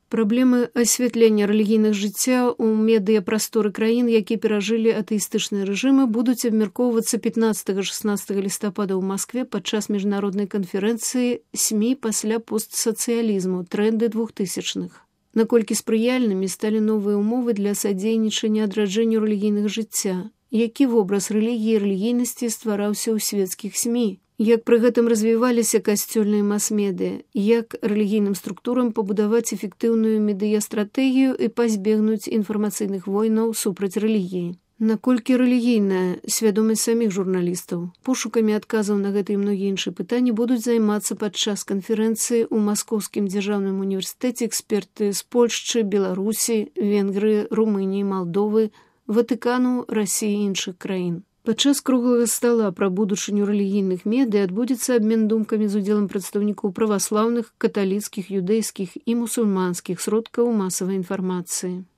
Праблемы асвятлення рэлігійных жыцця ў медыяпрасторы краін, якія перажылі атэістычныя рэжымы, будуць абмяркоўвацца 15-16 лістапада ў Маскве падчас міжнароднай канферэнцыі СМІ пасля постсацыялізму трэнды 2000-х. Наколькі спрыяльнымі сталі новыя ўмовы для садзейнічання адраджэнню рэлігійных жыцця, які вобраз рэлігіі і рэлігійнасці ствараўся ў свецкіх СМІ, як пры гэтым развіваліся касцёльныя мас-медыа, як рэлігійным структурам пабудаваць эфектыўную медыястратэгію і пазбегнуць інфармацыйных войнаў супраць рэлігіі. Наколькі рэлігійная свядомасць саміх журналістаў. Пошукамі адказаў на гэта і многія іншыя пытанні будуць займацца падчас канферэнцыі ў Маскоўскім дзяржаўным універсітэце эксперты з Польшчы, Беларусі, Венгрыі, Румыніі, Малдовы, Ватыкану, Расіі і іншых краін. Падчас круглага стала пра будучыню рэлігійных медыа адбудзецца абмен думкамі з удзелам прадстаўнікоў праваслаўных, каталіцкіх, юдэйскіх і мусульманскіх сродкаў масавай інфармацыі.